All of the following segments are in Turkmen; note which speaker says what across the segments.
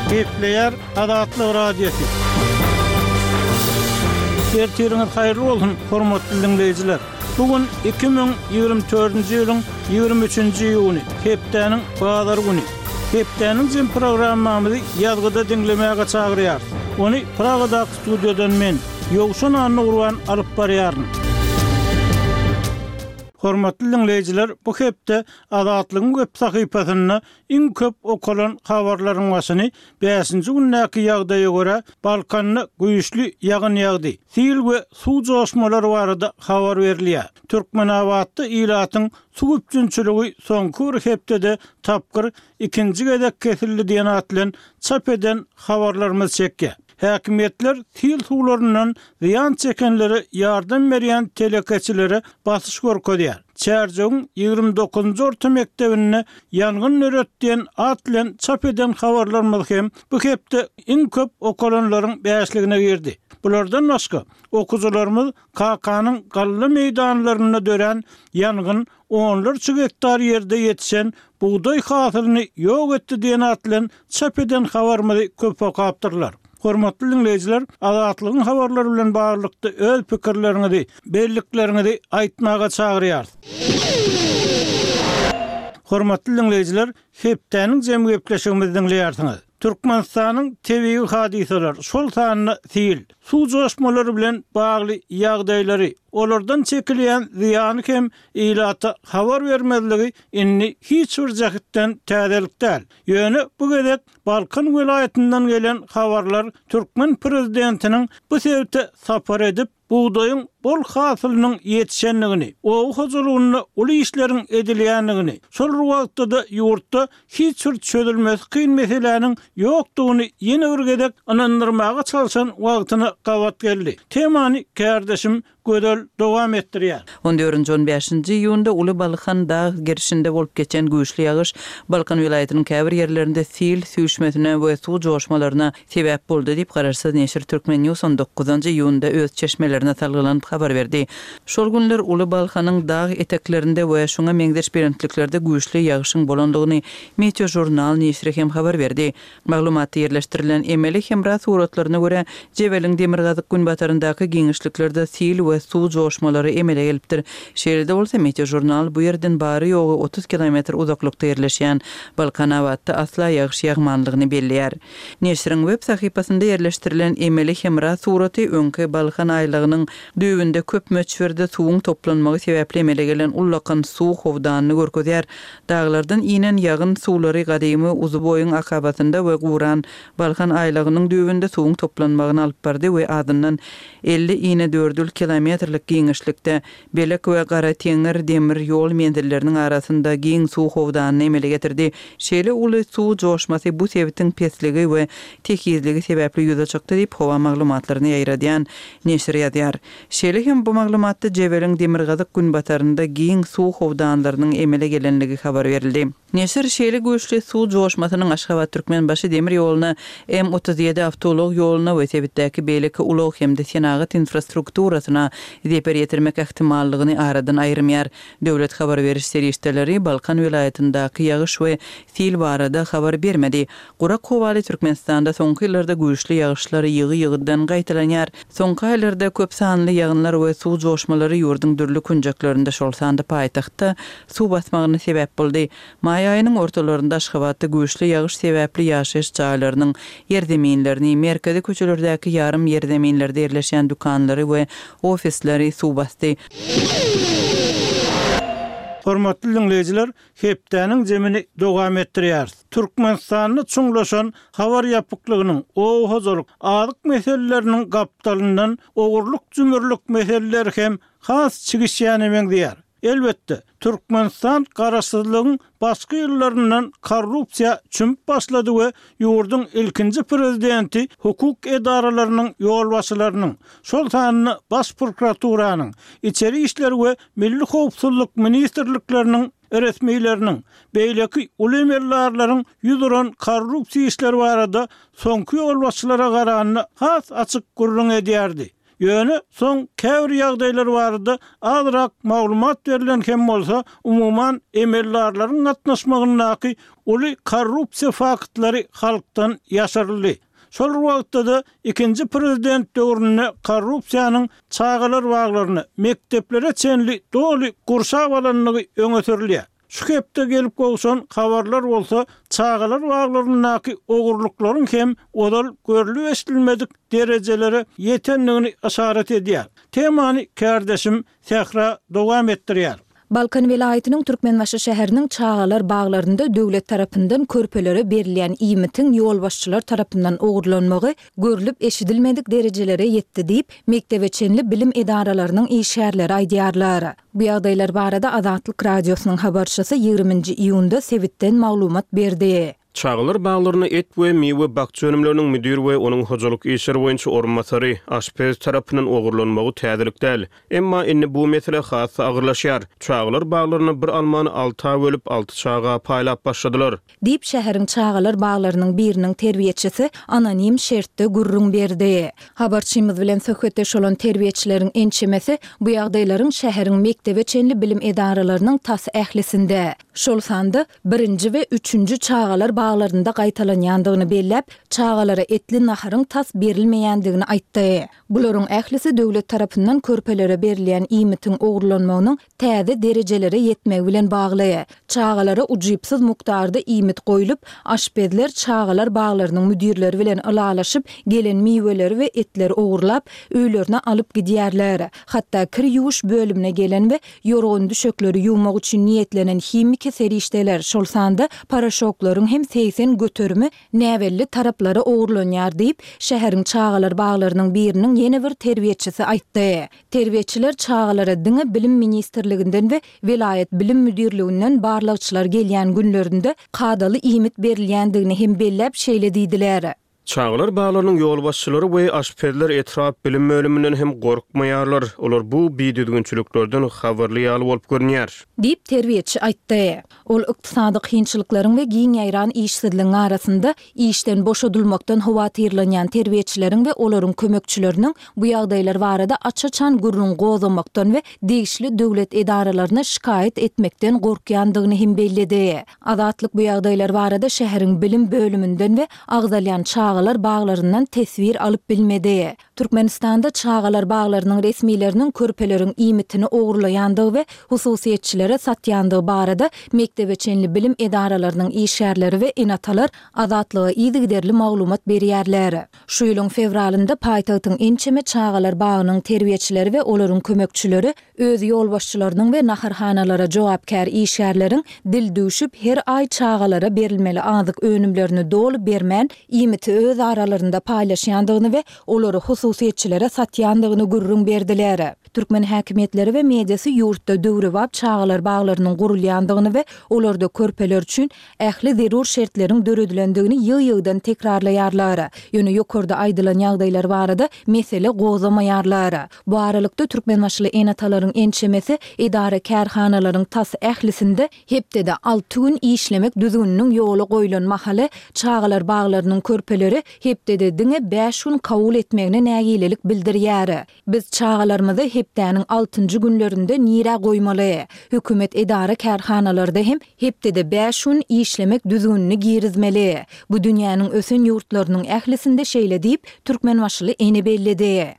Speaker 1: Gepleýär Azatlyk Radiosy. Ertiriňiz haýyrly bolsun, hormatly diňleýjiler! Bu gün 2024-nji ýylyň 23-nji iýuny, hepdäniň bazar güni. Hepdäniň jem programmamyzy ýazgyda diňlemäge çagyrýarys. Ony Pragadaky studiýadan men, Ýowşan Annagurban alyp barýaryn. Hormatly diňleýjiler, bu hepde Azatlygyň web sahypasynda iň köp okalan habarlaryň başyny bäşinji gündäki ýagdaýa görä, Balkanda güýçli ýagyn ýagdy, sil we suw joşmalary barada habar berilýär. Türkmenabatda ilatyň suw üpjünçiligi soňky bir hepdede tapgyr ikinji gezek kesildi diýen at bilen çap eden habarlarymyz çekýär. Häkimiýetler sil suwlaryndan zyýan çekenlere ýardam berýän telekeçilere basyş görkezýär. Çärjewiň 29-njy orta mekdebinde ýangyn döret diýen at bilen çap eden habarlarymyz hem bu hepde iň köp okalanlaryň bäşligine girdi. Bulardan başga, okyjylarymyz Kakanyň galla meýdanlarynda dörän ýangyn onlarça gektar ýerde ýetişen bugdaý hasylyny ýok etdi diýen at bilen çap eden habarymyzy köp okapdyrlar. Hormatly diňleýjiler, Azatlygyň habarlary bilen baglylykda öz pikirleriňizi, bellikleriňizi aýtmaga çagyrýarys. Hormatly diňleýjiler, hepdäniň jemi gepleşigimizi diňleýärsiňiz. Türkmenistanyň tebigy hadysalar, şol sanda sil, suw joşmalary bilen bagly ýagdaýlary, olardan çekilýän zyýany hem ilata habar bermezligi indi hiç bir jähtden täzelik däl. Ýöne bu gezek Balkan welaýatyndan gelen habarlar türkmen prezidentiniň bu sebite sapar edip, bugdaýyň bol hasylynyň ýetişendigini, oba hojalygynda uly işleriň edilýändigini, şol bir wagtda-da ýurtda hiç bir çözülmesi kyn meseläniň ýokdugyny ýene bir gezek ynandyrmaga çalşan wagtyna gabat geldi. Temany kärdeşim Gözel dowam etdirýär.
Speaker 2: On dördünji, on bäşinji iýunda Uly Balkan dag gerşinde bolup geçen güýçli ýagyş Balkan welaýatynyň käbir ýerlerinde sil süýşmesine we suw joşmalaryna sebäp boldy diýip, garaşsyz neşir Turkmen News on dokuzynjy iýunda öz çeşmelerine salgylanyp habar berdi. Şol günler Uly Balhanyň dag eteklerinde we şuňa meňzeş belentliklerde güýçli ýagyşyň bolandygyny Meteožurnal neşiri hem habar berdi. Maglumatda ýerleşdirilen emeli hemra suratlaryna görä, Jebeliň demirgazyk-günbataryndaky giňişliklerde sil we suw joşmalary emele gelipdir. Şeýle-de bolsa, Meteožurnal bu ýerden bary-ýogy 30 kilometr uzaklykda ýerleşýän Balkanabatda asla ýagyş ýagmanlygyny belleýär. Neşiriň web sahypasynda ýerleşdirilen emeli hemra suraty öňki Balkan aýlagynyň düýbünde köp möçberde suwuň toplanmagy sebäpli emele gelen ullakan suw howdanyny görkezýär. Daglardan inen ýagyn suwlary gadymy Uzuboýuň akabasynda we guran Balkan aýlagynyň düýbünde suwuň toplanmagyna alyp bardy we azyndan 50 inedördül kilometrlik giňişlikde Belek we Garateňňir demir ýol menzilleriniň arasynda giň suw howdanyny emele getirdi. Şeýle uly suw joşmasy bu sebitiň pesligi we tekizligi sebäpli ýüze çykdy diýip, howa maglumatlaryny ýaýradýan neşir ýazýar. Şeýle hem bu maglumatda Jebeliň demirgazyk-günbatarynda giň suw howdanlarynyň emele gelenligi habar berildi. Neşir şeýle güýçli suw joşmasynyň Aşgabat-Türkmenbaşy demir ýoluna, M 37 awtoulag ýoluna we sebitdäki beýleki ulag hem-de senagat infrastrukturasyna zeper ýetirmek ähtimallygyny aradan aýyrmaýar. Döwlet habar beriş serişdeleri Balkan welaýatyndaky ýagyş we sil barada habar bermedi. Gurak howaly Türkmenistanda soňky ýyllarda güýçli ýagyşlar ýygy-ýygydan gaýtalanýar. Soňky aýlarda köp sanly ýagynlar we suw joşmalary ýurduň dürli künjeklerinde, şol sanda paýtagtda suw basmagyna sebäp boldy. Maý aýynyň ortalarynda Aşgabatda güýçli ýagyş sebäpli ýaşaýyş jaýlarynyň ýerzeminlerini, merkezi köçelerdäki ýarym ýerzeminlerde ýerleşýän dükanlary we ofisleri suw basdy.
Speaker 1: Hormatly diňleýjiler, hepdäniň jemini dowam etdirýäris. Türkmenistanda çuňlaşan habar ýapyklygynyň, oba hojalyk, azyk meseleleriniň gapdalyndan ogurlyk-jümürlik meseleleri hem has çigişýäne meňzeýär. Elbetde, Türkmenistan garaşsyzlygyň başky ýyllaryndan korrupsiýa çümüp başlady we ýurduň ilkinji prezidenti hukuk edaralarynyň ýolbaşçylarynyň, şol sanda Baş prokuraturanyň, Içeri işler we Milli howpsuzlyk ministrlikleriniň resmileriniň, beýleki uly emeldarlaryň ýüz uran korrupsiýa işleri barada soňky ýolbaşçylara garanda has açyk gürrüň edýärdi. Ýöne soň käbir ýagdaýlar barada azrak maglumat berlen hem bolsa, umuman emeldarlaryň gatnaşmagyndaky uly korrupsiýa faktlary halkdan ýaşyryldy. Şol bir wagtda-da ikinji prezident döwründe korrupsiýanyň çagalar baglaryna, mekdeplere çenli doly gurşap alandygy öňe sürülýär. Şu hepde gelip gowşan habarlar bolsa çagalar baglaryndaky ogurlyklaryň hem ozal görlüp-eşidilmedik derejelere ýetendigini yşarat edýär. Temany kärdeşim Sähra dowam etdirýär.
Speaker 3: Balkan welaýatynyň Türkmenbaşy şäheriniň çagalar baglarynda döwlet tarapyndan körpelere berilýän iýmitiň ýolbaşçylar tarapyndan ogurlanmagy görlüp-eşidilmedik derejelere ýetdi diýip, mekdebe çenli bilim edaralarynyň işgärleri aýdýarlar. Bu ýagdaýlar barada Azatlyk Radiosynyň habarçysy ýigriminji iýunda sebitden maglumat berdi.
Speaker 4: Çagalar baglarynda et we miwe bakja önümleriniň müdir we onuň hojalyk işleri boýunça orunbasary, aşpez tarapyndan ogurlanmagy täzelik däl. Emma indi bu mesele has-da agyrlaşýar. Çagalar baglarynda bir almany alta bölüp, alty çaga paýlap başladylar.
Speaker 3: Diýip, şäheriň çagalar baglarynyň biriniň terbiýeçisi anonim şertde gürrüň berdi. Habarçymyz bilen söhbetdeş bolan terbiýeçileriň ençemesi bu ýagdaýlaryň şäheriň mekdebe çenli bilim edaralarynyň tas ählisinde, şol sanda birinji we üçünji çagalar baglarynda gaýtalanýandygyny belläp, çagalara etli naharyň tas berilmeýändigini aýtdy. Bularyň ählisi döwlet tarapyndan körpelere berilýän iýmitiň ogurlanmagynyň täze derejelere ýetmegi bilen bagly. Çagalara ujypsyz mukdarda iýmit goýlup, aşpezler çagalar baglarynyň müdirleri bilen ylalaşyp, gelen miweleri we etleri ogurlap, öýlerine alyp gidýärler. Hatda kir ýuwuş bölümine gelen we ýorgan-düşekleri ýuwmak üçin niýetlenen himiki serişdeler, şol sanda poroşoklaryň hem 80 göterimi näbelli taraplara ogurlanýar diýip, şäheriň çagalar baglarynyň biriniň ýene bir terbiýeçisi aýtdy. Terbiýeçiler çagalara diňe Bilim ministrliginden we welaýat bilim müdirliginden barlagçylar gelýän günlerinde kadaly iýmit berilýändigini hem belläp şeýle diýdiler.
Speaker 4: Çagalar baglarynyň ýolbaşçylary we aşpezler etrap bilim bölüminden hem gorkmaýarlar. Olar bu bidüzgünçiliklerden habarly ýaly bolup görünýär.
Speaker 3: Diýip, terbiýeçi aýtdy. Ol ykdysady kynçylyklaryň we giň ýaýran işsizligiň arasynda işden boşadylmakdan howatyrlanýan terbiýeçileriň we olaryň kömekçileriniň bu ýagdaýlar barada aç-açan gürrüň gozgamakdan we degişli döwlet edaralaryna şikaýat etmekden gorkýandygyny hem belledi. Azatlyk bu ýagdaýlar barada şäheriň bilim bölüminden we agzalýan çagalar baglaryndan teswir alyp bilmedi. Türkmenistanda çagalar baglarynyň resmileriniň körpeleriň iýmitini ogurlaýandygy we hususyýetçilere satýandygy barada mekdebe çenli bilim edaralarynyň işgärleri we ene-atalar Azatlyga yzygiderli maglumat berýärler. Şu ýylyň fewralynda paýtagtyň ençeme çagalar bagynyň terbiýeçileri we olaryň kömekçileri öz ýolbaşçylarynyň we naharhanalara jogapkär işgärleriň dil düwşüp, her aý çagalara berilmeli azyk önümlerini doly bermän, iýmiti öz aralarynda paýlaşýandygyny we olary hususyýetçilere satýandygyny gürrüň berdiler. Türkmen häkimiýetleri we mediasy ýurtda döwrebap çagalar baglarynyň gurulýandygyny we olarda körpeler üçin ähli zerur şertleriň döredilendigini ýygy-ýygydan tekrarlaýarlar. Ýöne ýokarda aýdylan ýagdaýlar barada mesele gozgamaýarlar. Bu aralykda, türkmenbaşyly ene-atalaryň ençemesi edara-kärhanalaryň tas ählisinde hepdede alty gün işlemek düzgüniniň ýola goýlan mahaly, çagalar baglarynyň körpeleri hepdede diňe bäş gün kabul etmegine nägilelik bildirýär. Biz çagalarymyzy hepdäniň altynjy günlerinde nirä goýmaly? Hökümet edara-kärhanalarda hem hepdede bäş gün işlemek düzgünini girizmeli. Bu dünýäniň ösen ýurtlarynyň ählisinde şeýle diýip, türkmenbaşyly ene belledi.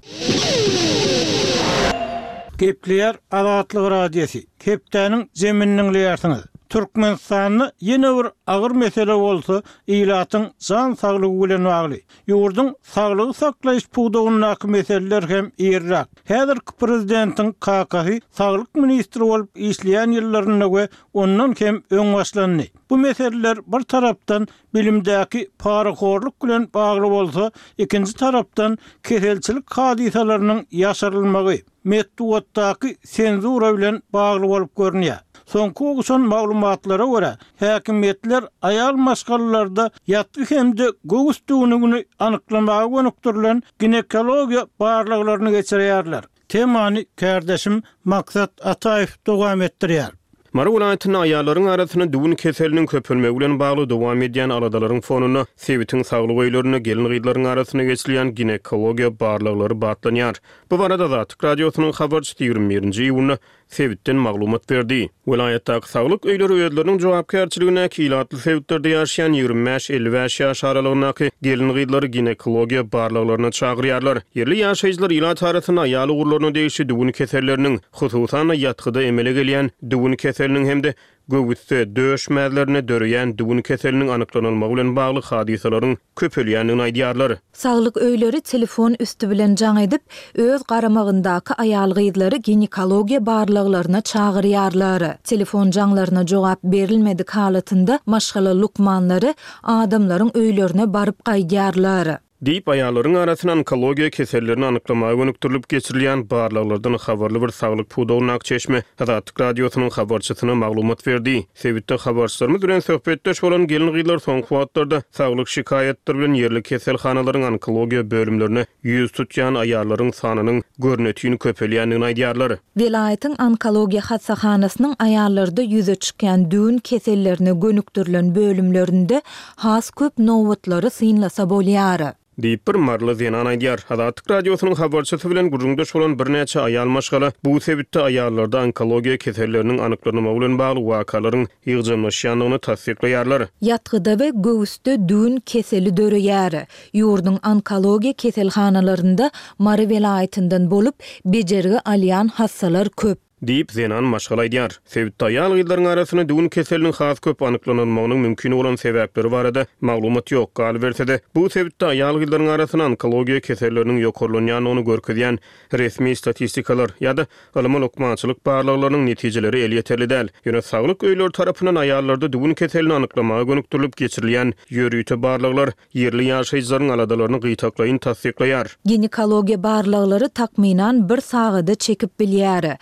Speaker 1: Gepleýär Azatlyk Radiosy, Hepdäniň jemini diňleýärsiňiz. Türkmenistanda ýene bir agyr mesele bolsa ilatyň jan saglygy bilen bagly. Ýurduň saglygy saklaýyş pudagyndaky meseleler hem irräk, häzirki prezidentiň kakasy saglyk ministri bolup işleýän ýyllarynda we ondan hem öň başlandy. Bu meseleler bir tarapdan bilimdäki parahorluk bilen bagly bolsa, ikinji tarapdan keselçilik hadysalarynyň ýaşyrylmagy, metbugatdaky senzura bilen bagly bolup görünýär. Soňky gowşan maglumatlara görä, häkimiýetler aýal maşgalalarda ýatgy hem-de göwüs düwnügini anyklamaga gönükdirilen ginekologiýa barlaglaryny geçirýärler. Temany kärdeşim Maksat Ataýew dowam etdirýär.
Speaker 4: Mary welaýatynda aýallaryň arasynda düwün keseliniň köpelmegi bilen bagly dowam edýän aladalaryň fonunda sebitiň saglyk öýlerinde gelin-gyzlaryň arasynda geçirilýän ginekologiýa barlaglary batlanýar. Bu barada Azatlyk Radiosynyň habarçysy 21-nji iýunda sebitden maglumat berdi. Welaýatdaky saglyk öýleri özleriniň jogapkärçiligindäki ilatly sebitlerde ýaşaýan 25, 55 ýaş aralygyndaky gelin-gyzlary ginekologiýa barlaglaryna çagyrýarlar. Ýerli ýaşaýjylar ilat arasynda aýal ugurlaryna degişli düwün keselleriniň, hususan-da, ýatgyda emele gelýän düwün keseliniň hem-de göwüsde, döş mäzlerinde döreýän düwün keseliniň anyklanylmagy bilen bagly hadysalaryň köpelýändigini aýdýarlar.
Speaker 3: Saglyk öýleri telefon üsti bilen jaň edip, öz garamagyndaky aýal-gyzlary ginekologiýa barlaglaryna çagyrýarlar. Telefon jaňlaryna jogap berilmedik halatynda maşgala lukmanlary adamlaryň öýlerine baryp gaýdýarlar.
Speaker 4: Diýip, aýallaryň arasynda onkologiýa kesellerini anyklamaga gönükdirilip geçirilýän barlaglardan habarly bir saglyk pudagyndaky çeşme Azatlyk Radiosynyň habarçysyna maglumat berdi. Sebitde habarçylarymyz bilen söhbetdeş bolan gelin-gyzlar soňky wagtlarda saglyk şikaýatlary bilen ýerli keselhanalaryň onkologiýa bölümlerine ýüz tutýan aýallaryň sanynyň görnetin köpelýändigini aýdýarlar.
Speaker 3: Welaýatyň onkologiýa hassahanasynyň aýallarda ýüze çykýan düwün kesellerine gönükdirilen bölümlerinde has köp nobatlary synlasa bolýar.
Speaker 4: Diýip, bir maryly zenan aýdýar. Azatlyk Radiosynyň habarçysy bilen gürrüňdeş bolan birnäçe aýal maşgala bu sebitde aýallarda onkologiýa keselleriniň anyklanylmagy bilen bagly wakalaryň ýygjamlaşýandygyny tassyklaýarlar.
Speaker 3: Ýatgyda we göwüsde düwün keseli döreýär. Ýurduň onkologiýa keselhanalarynda Mary welaýatyndan bolup, bejergi alýan hassalar köp.
Speaker 4: Diýip, zenan maşgala aýdýar. Sebitde aýal-gyzlaryň arasynda düwün keseliniň has köp anyklanylmagynyň mümkin bolan sebäpleri barada maglumat ýok. Galyberse-de, bu sebitde aýal-gyzlaryň arasynda onkologiýa keselleriniň ýokarlanýandygyny görkezýän resmi statistikalar ýa-da ylmy-lukmançylyk barlaglarynyň netijeleri elýeterli däl. Ýöne saglyk öýleri tarapyndan aýallarda düwün keselini anyklamaga gönükdirilip geçirilýän ýörite barlaglar ýerli ýaşaýjylaryň aladalaryny gytaklaýyn tassyklaýar.
Speaker 3: Ginekologiýa barlaglary takmynan bir sagada çekip bilýär.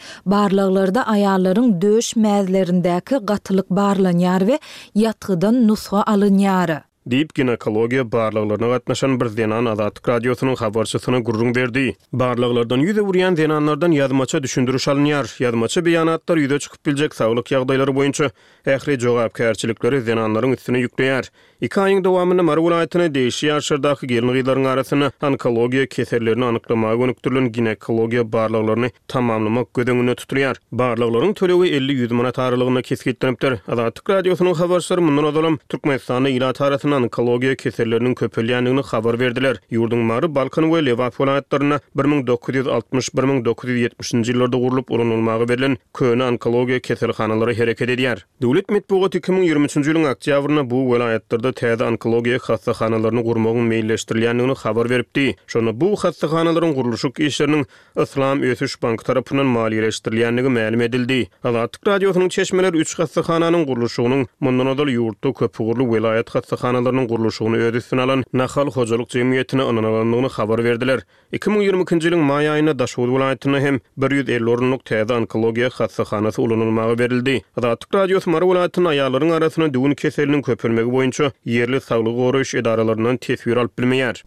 Speaker 3: Barlaglarda aýallaryň döş mäzlerindäki gatylyk barlanýar we ýatgydan nusga alynýar.
Speaker 4: Diýip, ginekologiýa barlaglaryna gatnaşan bir zenan Azatlyk Radiosynyň habarçysyna gürrüň berdi. Barlaglardan ýüz öwürýän zenanlardan ýazmaça düşündiriş alynýar. Ýazmaça beýanatlar ýüze çykyp biljek saglyk ýagdaýlary boýunça ähli jogapkärçilikleri zenanlaryň üstüne ýükleýär. Iki aýyň dowamynda Mary welaýatyna degişli ýaşlardaky gelin-gyzlaryň arasynda onkologiýa kesellerini anyklamaga gönükdirilen ginekologiýa barlaglaryny tamamlamak göz öňünde tutulýar. Barlaglaryň tölegi 50-100 manat aralygynda kesgitlenipdir. Azatlyk Radiosynyň habarçylary mundan ozalam Türkmenistanda ilat arasynda onkologiýa keselleriniň köpelýändigini habar berdiler. Ýurduň Mary, Balkan we Lebap welaýatlarynda 1960, 1970-nji ýyllarda gurlup ulanylmaga berlen köne onkologiýa keselhanalary hereket edýär. Döwlet metbugaty 2023-nji ýylyň oktýabrynda bu welaýatlarda täze onkologiýa hassahanalaryny gurmagyň meýilleşdirilýändigini habar beripdi. Şonda bu hassahanalaryň gurluşyk işleriniň Yslam ösüş banky tarapyndan maliýeleşdirilýändigi mälim edildi. Azatlyk Radiosynyň çeşmeleri üç hassahananyň gurluşygynyň mundan ozal ýurtda köpugurly welaýat hassahanalarynyň gurluşygyny öz üstüne alan Nahal hojalyk jemgyýetine ynanylandygyny habar berdiler. 2022-nji ýylyň maý aýynda Daşoguz welaýatynda hem 150 orunlyk täze onkologiýa hassahanasy ulanylmaga berildi. Azatlyk Radiosy Mary welaýatynda aýallaryň arasynda düwün keseliniň köpelmegi boýunça ýerli saglygy goraýyş edaralaryndan teswir alyp bilmeýär.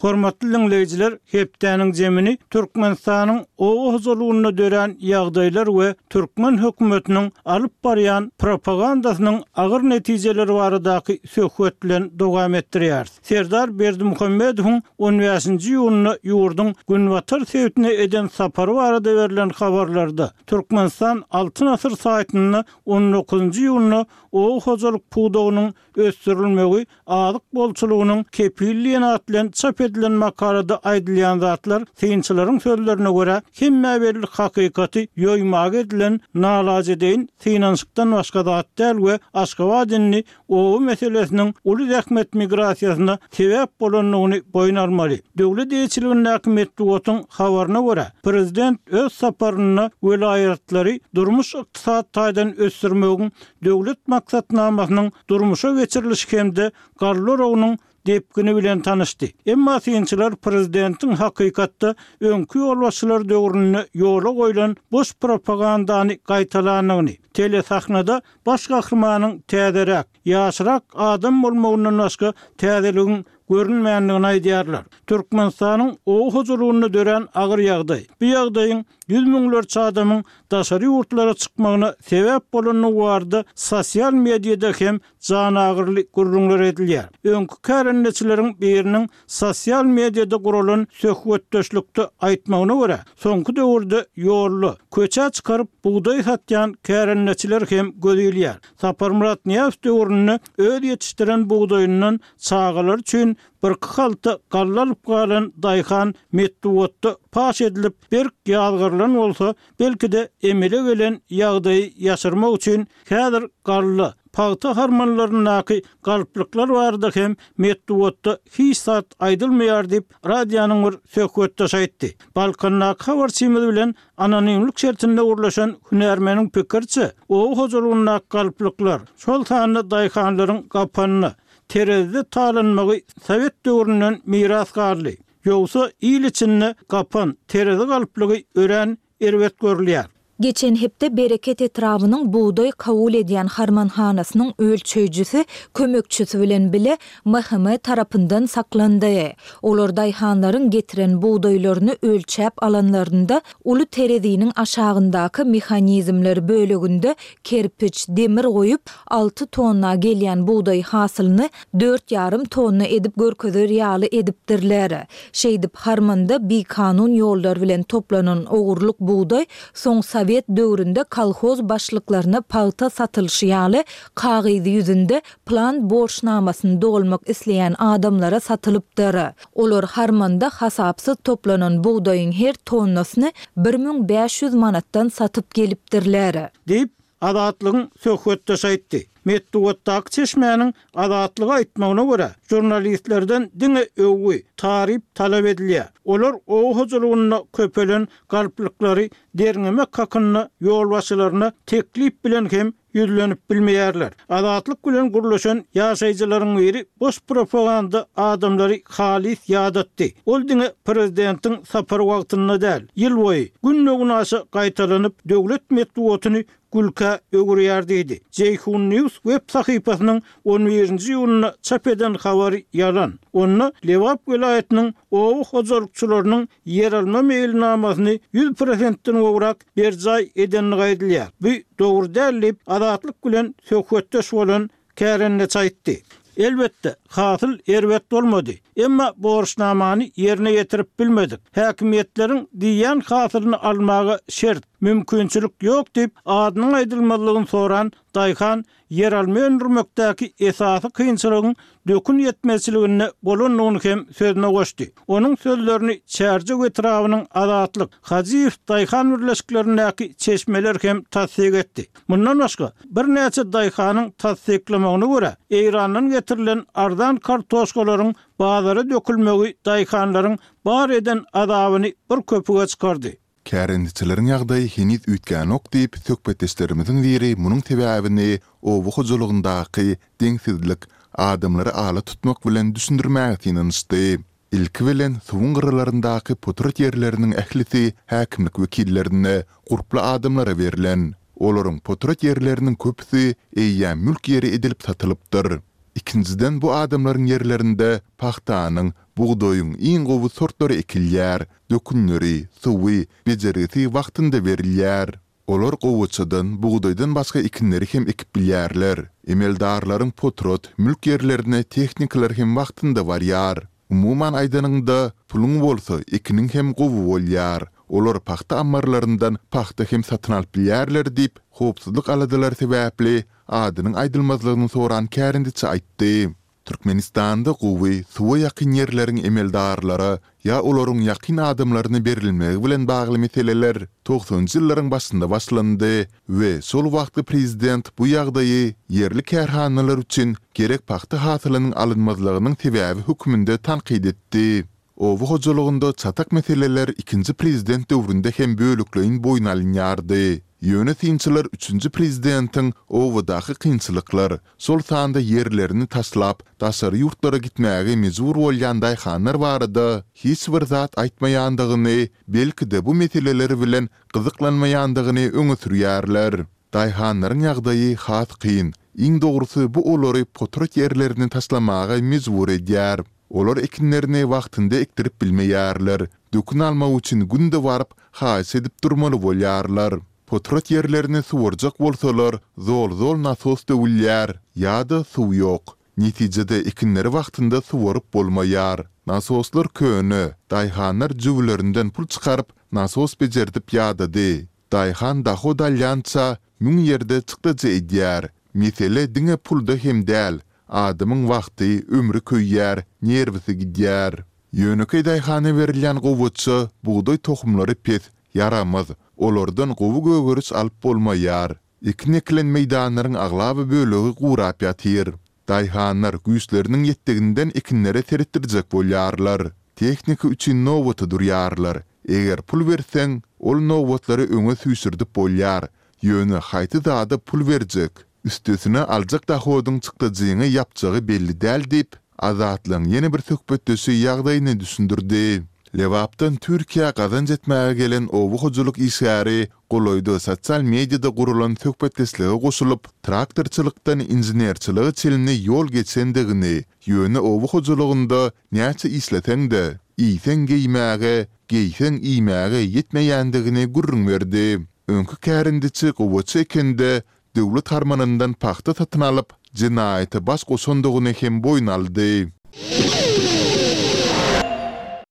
Speaker 1: Hormatly diňleýjiler, hepdäniň jemini Türkmenistanyň oba hojalygynda dörän ýagdaýlar we türkmen hökümetiniň alyp barýan propagandasynyň agyr netijeleri baradaky söhbet bilen dowam etdirýäris. Serdar Berdimuhamedowyň on bäşinji iýunda ýurduň günbatar sebitine eden sapary barada berlen habarlarda, Türkmenistan Altyn asyr saýtynda on dokuzynjy iýunda oba hojalyk pudagynyň ösdürilmegi azyk bolçulygynyň kepili diýen at bilen çap edilen makalada aýdylýan zatlar, synçylaryň sözlerine görä, hemmä belli hakykaty ýoýmaga edilen nalajedeýin synanyşykdan başga zat däl we Aşgabat indi oba meselesiniň uly zähmet migrasiýasyna sebäp bolandygyny boýun almaly. Döwlet eýeçiligindäki metbugatyň habaryna görä, prezident öz saparynda welaýatlary durmuş-ykdysady taýdan ösdürmegiň döwlet maksatnamasynyň durmuşa geçirilişi hem-de galla oragynyň depgini bilen tanyşdy. Emma synçylar prezidentiň hakykatda öňki ýolbaşçylar döwründe ýola goýlan boş propagandany gaýtalandygyny, telesahnada baş gahrymanyň täzeräk, ýaşrak adam bolmagyndan başga täzeligiň. görünmändigini aýdýarlar. Türkmenistanyň oba hojalygynda dörän agyr ýagdaý, bu ýagdaýyň ýüz müňlerçe adamyň daşary ýurtlara çykmagyna sebäp bolandygy barada sosial mediada hem janagyryly gürrüňler edilýär. Öňki kärendeçileriň biriniň sosial mediada guralan söhbetdeşlikde aýtmagyna görä, soňky döwürde ýolda, köçä çykaryp bugdaý satýan kärendeçiler hem göz ilýär. Saparmyrat Nyýazow döwründe öz ýetişdiren bugdaýyndan çagalary üçin birki halta galla alyp galan daýhan metbugatda paş edilip, berk ýazgarylan bolsa, belki-de emele gelen ýagdaýy ýaşyrmak üçin häzir galla, pagta harmanlaryndaky galplyklar barada hem metbugatda hiç zat aýdylmaýar diýip, radionyň bir söhbetdeşi aýtdy. Balkandaky habarçymyz bilen anonimlik şertinde gürleşen hünärmeniň pikiriçe, oba hojalygyndaky galplyklar, şol sanda daýhanlaryň gapanyna, terezide talanmagy sowet döwründen miras galdy. Ýogsa il içinde gapan, terezi galplygy örän erbet görülýär.
Speaker 3: Geçen hepde Bereket etrabynyň bugdaý kabul edýän harmanhanasynyň ölçeýjisi kömekçisi bilen bile MHM tarapyndan saklandy. Olar daýhanlaryň getiren bugdaýlaryny ölçäp alanlarynda uly tereziniň aşagyndaky mehanizmler böleginde kerpiç, demir goýup, alty tonna gelýän bugdaý hasylyny dört ýarym tonna edip görkezer ýaly edipdirler. Şeýdip, harmanda bikanun ýollar bilen toplanan ogurlyk bugdaý soň sowet döwründe kolhoz başlyklaryna pagta satylyşy ýaly kagyz ýüzünde plan borçnamasyny dolmak isleýän adamlara satylypdyr. Olar harmanda hasapsyz toplanan bugdaýyň her tonnasyny 1500 manatdan satyp gelipdirler.
Speaker 1: Diýip, Azatlygyň söhbetdeşi aýtdy. Metbugatdaky çeşmäniň Azatlyga aýtmagyna görä, žurnalistlerden diňe öwgi, taryp talap edilýär. Olar oba hojalygynda köpelen galplyklary derňemek hakynda ýolbaşçylaryna teklip bilen hem ýüzlenip bilmeýärler. Azatlyk bilen gürleşen ýaşaýjylaryň biri boş propaganda adamlary halys ýadatdy. Ol diňe prezidentiň sapary wagtynda däl, ýylboýy, günde-günaşa gaýtalanyp, döwlet metbugatyny gülkä öwürýär diýdi. Jeýhun News web sahypasynyň on birinji iýunda çap eden habary ýalan. Onda Lebap welaýatynyň oba hojalykçylarynyň ýeralma meýilnamasyny ýüz prosentden gowrak berjaý edendigi aýdylýar. Bu dogry däl diýip, Azatlyk bilen söhbetdeş bolan kärendeçi aýtdy. Elbetde, hasyl erbet bolmady. Emma borçnamany ýerine ýetirip bilmedik. Häkimiýetleriň diýýän hasylyny almaga şert, mümkinçilik ýok diýip, adynyň aýdylmazlygyny soran daýhan ýeralma öndürmekdäki esasy kynçylygyň dökün ýetmezçiliginde bolandygyny hem sözüne goşdy. Onuň sözlerini Çärjew etrabynyň Azatlyk, Hajyýew daýhan birleşiklerindäki çeşmeler hem tassyk etdi. Mundan başga, birnäçe daýhanyň tassyklamagyna görä, Eýrandan getirilen arzan kartoşkalaryň bazara dökülmegi daýhanlaryň bar eden azabyny bir köpüge çykardy.
Speaker 5: Kärendeçileriň ýagdaýy heniz üýtgänok diýip, söhbetdeşlerimiziň biri munuň sebäbini oba hojalygyndaky deňsizlik, adamlary ala tutmak bilen düşündirmäge synanyşdy. Ilki bilen, suwuň gyralaryndaky potrat ýerleriniň ählisi häkimlik wekillerine, gurply adamlara berlen. Olaryň potrat ýerleriniň köpüsi eýýäm mülk ýeri edilip satylypdyr. Ikinjiden, bu adamlaryň ýerlerinde pagtanyň, bugdaýyň iň gowy sortlary ekilýär, Dökünleri, suwy, bejergisi wagtynda berilýär. Olar gowaçadan, bugdaýdan başga ekinleri hem ekip bilýärler. Emeldarlaryň potrat, mülk ýerlerine tehnikalar hem wagtynda barýar. Umuman aýdanyňda, puluň bolsa, ekiniň hem gowy bolýar. Olar pagta ammarlaryndan pagta hem satyn alyp bilýärler diýip, howpsuzlyk aladalary sebäpli adynyň aýdylmazlygyny soran kärendeçi aýtdy. Türkmenistanda gowy, suwa ýakyn ýerleriň emeldarlara ýa olaryň ýakyn adamlaryna berilmegi bilen bagly meseleler togsanjy ýyllaryň başynda başlandy we şol wagtky prezident bu ýagdaýy ýerli kärhanalar üçin gerek pagta hasylynyň alynmazlygynyň sebäbi hökmünde tankyt etdi. Oba hojalygynda çatak meseleler ikinji prezident döwründe hem bölekleýin boýun alynýardy. Ýöne synçylar üçünji prezidentiň obadaky kynçylyklar, şol sanda ýerlerini taşlap, daşary ýurtlara gitmäge mejbur bolýan daýhanlar barada hiç bir zat aýtmaýandygyny, belki-de bu meseleler bilen gyzyklanmaýandygyny öňe sürýärler. Daýhanlaryň ýagdaýy has kyn. Iň dogrusy bu olary potrat ýerlerini taşlamaga mejbur edýär. Olar ekinlerini wagtynda ekdirip bilmeýärler, dökün almak üçin günde baryp, haýyş edip durmaly bolýarlar. Potrat ýerlerini suwarjak bolsalar, zol-zol nasos döwülýär ýa-da suw ýok. Netijede ekinleri wagtynda suwaryp bolmaýar. Nasoslar köne, daýhanlar jübülerinden pul çykaryp, nasos bejerdip ýadady. Daýhan dahod alýança, müň ýerde çykdajy edýär. Mesele diňe pulda hem däl, adamyň wagty, ömri köýýär, nerwisi gidýär. Ýönekeý daýhana berilýän gowaça, bugdaý tohumlary pes, ýaramaz, olardan gowy gögeriş alyp bolmaýar. Ekin ekilen meýdanlaryň aglaba bölegi gurap ýatyr. Daýhanlar güýçleriniň ýetdiginden ekinlere seretdirjek bolýarlar. Tehnika üçin nobata durýarlar. Eger pul berseň, ol nobatlary öňe süýşürdip bolýar. Ýöne haýsy zada pul berjek? Üstesine aljak dohodyň çykdajyňy ýapjagy belli däl diýip, Azatlygyň ýene bir söhbetdeşi ýagdaýyny düşündirdi. Lebapdan Türkiýä gazanç etmäge gelen oba hojalyk işgäri golaýda sosial mediada guralan söhbetdeşlige goşulyp, traktorçylykdan inženerçilige çenli ýol geçendigini, ýöne oba hojalygynda näçe işleseň-de, iýseň geýmäge, geýseň iýmäge ýetmeýändigini gürrüň berdi. Öňki kärendeçi gowaça ekende döwlet harmanyndan pagta satyn alyp, jenaýata baş goşandygyny hem boýun aldy.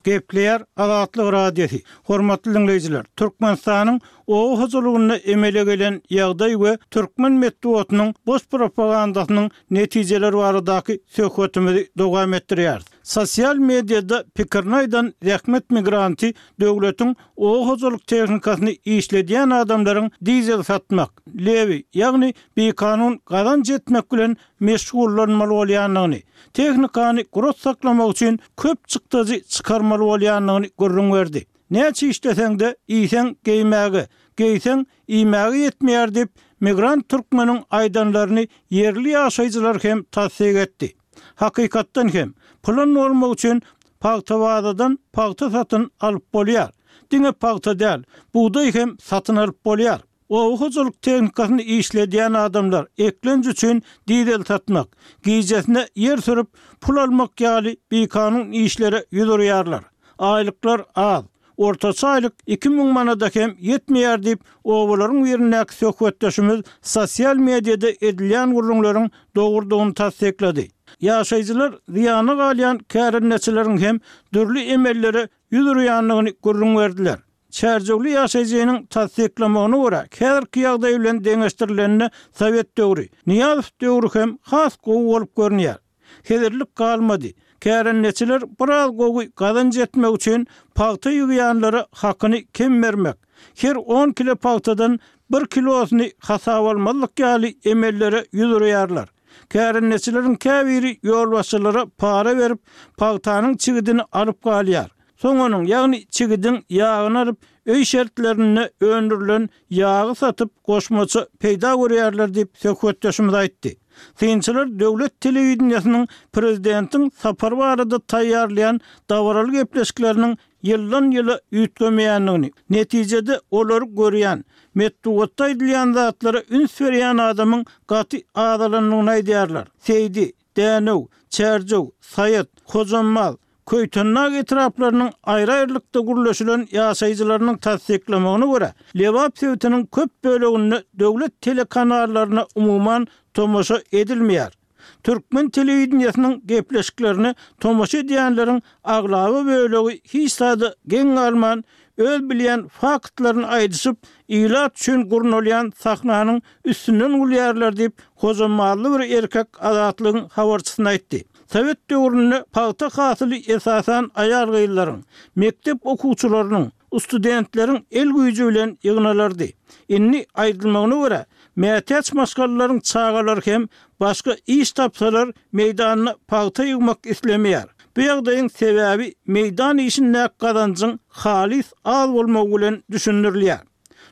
Speaker 1: Gepleýär Azatlyk Radiosy, Hormatly diňleýjiler, Türkmenistanyň oba hojalygynda emele gelen ýagdaý we türkmen metbugatynyň boş propagandasynyň netijeleri baradaky söhbetimizi dowam etdirýäris. Sosial mediada pikirini aýdan zähmet migranty döwletiň oba hojalyk tehnikasyny işledýän adamlaryň dizel satmak, lewi, ýagny bikanun gazanç etmek bilen meşgullanmaly bolýandygyny, tehnikany gurat saklamak üçin köp çykdajy çykarmaly bolýandygyny gürrüň berdi. Näçe işleseň-de, iýseň geýmäge, geýseň iýmäge ýetmeýär diýip, migrant türkmeniň aýdanlaryny ýerli ýaşaýjylar hem tassyk etdi. Hakykatdan hem, pylan bolmak üçin pagtabazadan pagta satyn alyp bolýar. Diňe pagta däl, bugdaý hem satyn alyp bolýar. Oba hojalyk tehnikasyny işledýän adamlar eklenç üçin dizel satmak, gijesine ýer sürüp, pul almak ýaly bikanun işlere ýüz urýarlar. Aýlyklar az. Ortaça aýlyk 2000 manada hem ýetmeýär diýip, obalaryň birindäki söhbetdeşimiz sosial mediada edilýän gürrüňleriň dogrudygyny tassyklady. Ýaşaýjylar zyýana galýan kärendeçileriň hem dürli emellere ýüz urýandygyny gürrüň berdiler. Çärjewli ýaşaýjynyň tassyklamagyna görä, häzirki ýagdaý bilen deňeşdirilende sowet döwri, Nyýazow döwri hem has gowy bolup görünýär. Hezillik galmady. Kärendeçiler biraz gowy gazanç etmek üçin pagta ýygýanlara hakyny kem bermek, her on kile pagtadan bir kilosyny hasaba almazlyk ýaly emellere ýüz urýarlar. Kärendeçileriň käbiri ýolbaşçylara para berip, pagtanyň çigidini alyp galýar. Soň onuň, ýagny çigidiň ýagyny alyp, öý şertlerinde öndürilen ýagy satyp, goşmaça peýda görýärler diýip, söhbetdeşimiz aýtdy. Synçylar döwlet telewideniýesiniň prezidentiň sapary barada taýýarlaýan dabaraly gepleşikleriniň ýyldan-ýyla üýtgemeýändigini, netijede olary görýän, metbugatda aýdylýan zatlara üns berýän adamyň gaty azalandygyny aýdýarlar. Seýdi, Dänew, Çärjew, Saýat, Hojambaz, Köýtendag etraplarynyň aýry-aýrylykda gürleşilen ýaşaýjylarynyň tassyklamagyna görä, Lebap sebitiniň köp böleginde döwlet telekanallaryna umuman tomaşa edilmeýär. Türkmen telewideniýesiniň gepleşiklerine tomaşa edýänleriň aglaba bölegi hiç zada geň galman, öz bilýän faktlaryny aýdyşyp, ilat üçin gurnalýan sahnanyň üstünden gülýärler diýip, hojambazly bir erkek Azatlygyň habarçysyna aýtdy. Sowet döwründe pagta hasyly esasan aýal-gyzlaryň, mekdep okuwçylarynyň, studentleriň el güýji bilen ýygnalardy. Indi, aýdylmagyna görä, mätäç maşgalalaryň çagalary hem başga iş tapsalar meýdanda pagta ýygmak islemeýär. Bu ýagdaýyň sebäbi meýdan işindäki gazanjyň halys az bolmagy bilen düşündirilýär.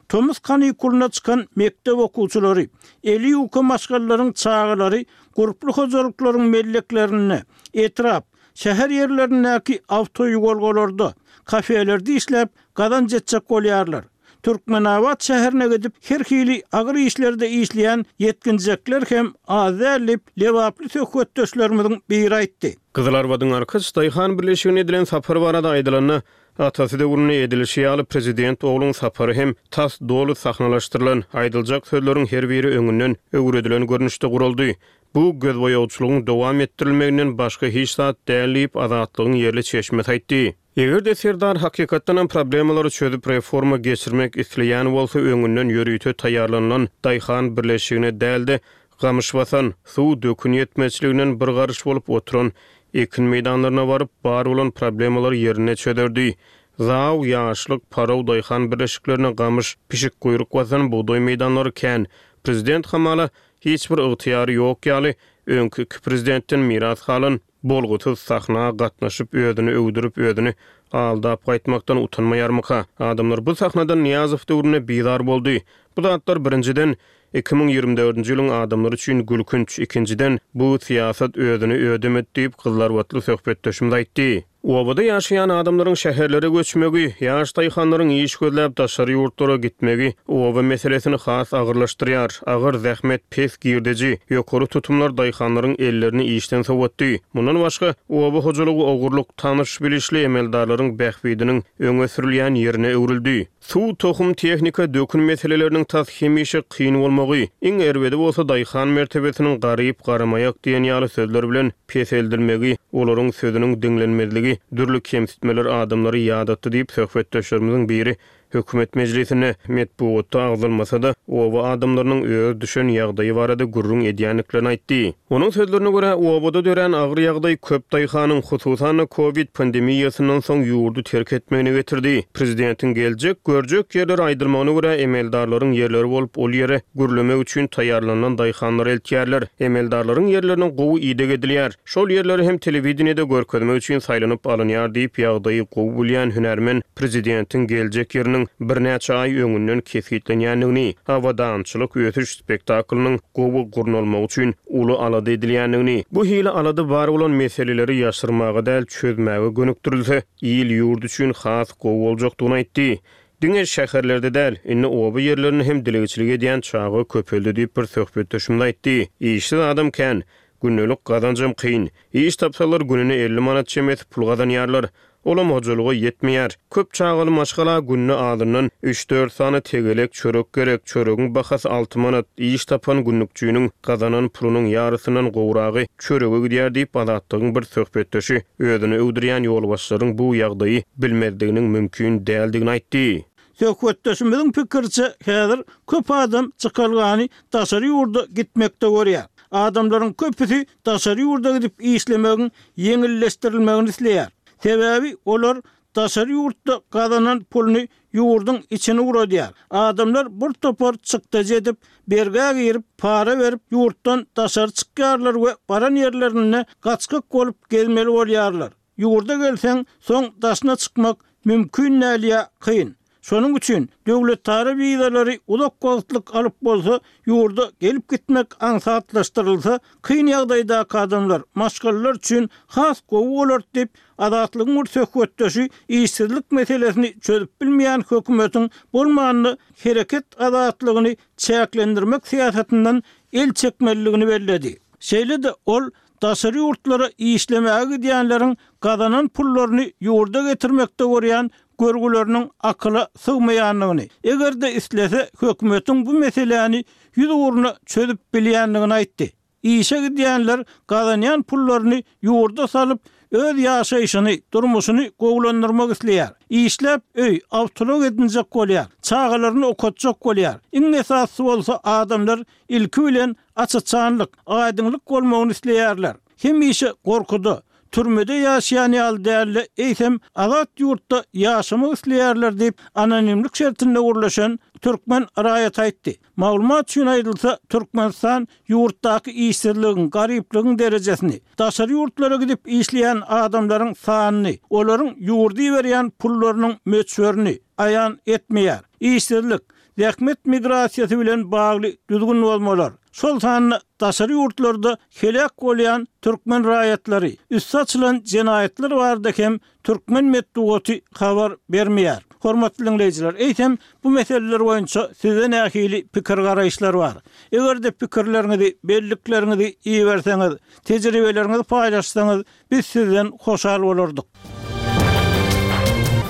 Speaker 1: Tomus kanikulyna çykan mekdep okuwçylary, eli ýuka maşgalalaryň çagalary gurply hojalyklaryň melleklerinde, etrap, şäher ýerlerindäki awtoýuwalgalarda, kafelerde işläp, gazanç etjek bolýarlar. Türkmenabat şäherine gidip, her hili agyr işlerde işleýän ýetginjekler hem az däl diýip, lebaply söhbetdeşlerimiziň biri aýtdy.
Speaker 4: Gyzylarbadyň Arkaç daýhan birleşigine edilen sapar barada aýdylanda, atasy döwründe edilişi ýaly prezident ogluň sapary hem tas doly sahnalaşdyrylan, aýdyljak sözleriň her biri öňünden öwredilen görnüşde guraldy. Bu gözboýagçylygyň dowam etdirilmeginden başga hiç zat däl diýip, Azatlygyň ýerli çeşmesi aýtdy. Eger-de Serdar hakykatdanam problemalary çözüp reforma geçirmek isleýän bolsa öňünden ýörite taýýarlanylan daýhan birleşigine däl-de gamyş basan, suw, dökün ýetmezçiliginden bir garyş bolup oturan ekin meýdanlaryna baryp bar bolan problemalary ýerinde çözerdi. Zaw, Ýaşlyk, Paraw daýhan birleşiklerine gamyş, pişikguýruk basan bugdaý meýdanlary kän. Prezident hamala hiç bir ygtyýary ýok ýaly öňki iki prezidentden miras galan Bolgusyz sahna gatnaşyp özüni öwdürip özüni aldap gaýtmakdan utanmaýarmyka? Adamlar bu sahnadan Nyýazow döwründe bizar boldy. Bu zatlar birinjiden, 2024-nji ýylyň adamlary üçin gülkünç, ikinjiden, bu syýasat özüni ödemedi diýip, gyzlarbatly söhbetdeşimiz aýtdy. Obada ýaşaýan adamlaryň şäherlere göçmegi, ýaş daýhanlaryň iş gözläp daşary ýurtlara gitmegi oba meselesini has agyrlaşdyrýar. Agyr zähmet, pes girdeji, ýokary tutumlar daýhanlaryň ellerini işden sowatdy. Mundan başga, oba hojalygy ogurlyk, tanyş-bilişli emeldarlaryň bähbidiniň öňe sürülýän ýerine öwrüldi. Suw, tohum, tehnika, dökün meseleleriniň tas hemişe kyn bolmagy, iň erbedi bolsa daýhan mertebesiniň garyp, garamaýak diýen ýaly sözler bilen peseldilmegi, olaryň sözüniň diňlenmezligi, dürli kemsitmeler adamlary ýadatdy diýip, söhbetdeşlerimiziň biri hökümet mejlisinde, metbugatda agzalmasa-da, oba adamlarynyň öz düşen ýagdaýy barada gürrüň edýändiklerini aýtdy. Onuň sözlerine görä, obada dörän agyr ýagdaý köp daýhanyň, hususan-da, kowid pandemiýasyndan soň ýurdy terk etmegine getirdi. Prezidentiň geljek, görjek ýerleri aýdylmagyna görä, emeldarlaryň ýerleri bolup, ol ýere gürlemek üçin taýýarlanylan daýhanlary eltýärler. Emeldarlaryň ýerlerine gowy ideg edilýär. Şol ýerleri hem telewideniýede görkezmek üçin saýlanyp alynýar diýip, ýagdaýy gowy bilýän hünärmen prezidentiň geljek ýeriniň birnäçe aý öňünden kesgitlenýändigini, abadançylyk ösüş spektaklynyň gowy gurnalmagy üçin uly alada edilýändigini, bu hili alada bar bolan meseleleri ýaşyrmaga däl, çözmäge gönükdirilse, il-ýurt üçin has gowy boljakdygyny aýtdy. Diňe şäherlerde däl, indi oba ýerlerinde hem dilegçilik edýän çaga köpeldi diýip, bir söhbetdeşimiz aýtdy. Işsiz adam kän. Gündelik gazanjam kyn. Iş tapsalar gününe 50 manat çemesi pul gazanýarlar. Olam hojalyga ýetmeýär. Köp çagaly maşgala günde azyndan üç-dört sany tegelek çörek gerek. Çöregiň bahasy alty manat. Iş tapan günlükçiniň gazanan pulunyň ýarysyndan gowragy çörege gidýär diýip, Azatlygyň bir söhbetdeşi özüni öwdürýän ýolbaşçylaryň bu ýagdaýy bilmezliginiň mümkin däldigini aýtdy.
Speaker 1: Söhbetdeşimiziň pikiriçe, häzir köp adam çykalgany daşary ýurda gitmekde görýär. Adamlaryň köpüsi daşary ýurda gidip işlemegiň ýeňilleşdirilmegini isleýär. Sebäbi olar daşary ýurtda gazanan puluny ýurduň içine ugradýar. Adamlar bir topar çykdajy edip, bergä girip, para berip ýurtdan daşary çykýarlar we baran ýerlerinde gaçgak bolup gezmeli bolýarlar. Ýurda gelseň, soň daşyna çykmak mümkin däl ýa kyn. Şonuň üçin döwletara wizalary uzak wagtlyk alyp bolsa, ýurda gelip-gitmek aňsatlaşdyrylsa, kyn ýagdaýdaky adamlar, maşgalalar üçin has gowy bolardy diýip, Azatlygyň bir söhbetdeşi işsizlik meselesini çözüp bilmeýän hökümetiň bolmanda hereket azatlygyny çäklendirmek syýasatyndan el çekmelidigini belledi. Şeýle-de ol daşary ýurtlara işlemäge gidýänleriň gazanan pullaryny ýurda getirmekde görýän görgüleriniň akyla sygmaýandygyny, eger-de islese, hökümetiň bu meseläni ýüzugruna çözüp bilýändigini aýtdy. Işe gidýänler gazanýan pullaryny ýurda salyp, öz ýaşaýşyny, durmuşyny gowulandyrmak isleýär. Işläp öý, awtoulag edinjek bolýar, çagalaryny okatjak bolýar. Iň esasysy bolsa adamlar ilki bilen aç-açanlyk, aýdyňlyk bolmagyny isleýärler. Hemişe gorkuda, türmede ýaşaýan ýaly däl-de, eýsem, azat ýurtda ýaşamak isleýärler diýip, anonimlik şertinde gürleşen türkmen raýaty aýtdy. Maglumat üçin aýdylsa, Türkmenistan ýurtdaky işsizligiň, garyplygyň derejesini, daşary ýurtlara gidip işleýän adamlaryň sanyny, olaryň ýurda iberýän pullarynyň möçberini aýan etmeýär. Işsizlik, zähmet migrasiýasy bilen bagly düzgün bozmalar, şol sanda daşary ýurtlarda heläk bolýan türkmen raýatlary, üsti açylan jenaýatlar barada hem türkmen metbugaty habar bermeýär. Hormatly diňleýjiler, eýsem, bu meseleler boýunça sizde nähili pikir-garaýyşlar bar? Eger-de pikirleriňizi, bellikleriňizi iberseňiz, tejribeleriňizi paýlaşsaňyz, biz sizden hoşal bolardyk.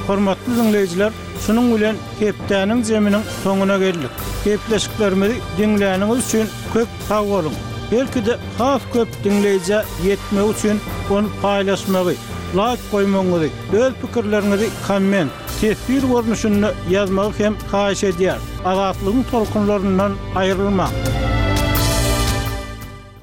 Speaker 1: Hormatly diňleýjiler, şunuň bilen hepdäniň zeminiň soňuna geldik. Gepleşiklerimizi diňläniňiz üçin köp sag boluň! Belki-de has köp diňleýjä ýetmegi üçin ony paýlaşmagy, laýk goýmagyňyzy, öz pikirleriňizi komment, teswir görnüşinde ýazmagy hem haýyş edýäris. Azatlygyň tolkunlaryndan aýrylmaň!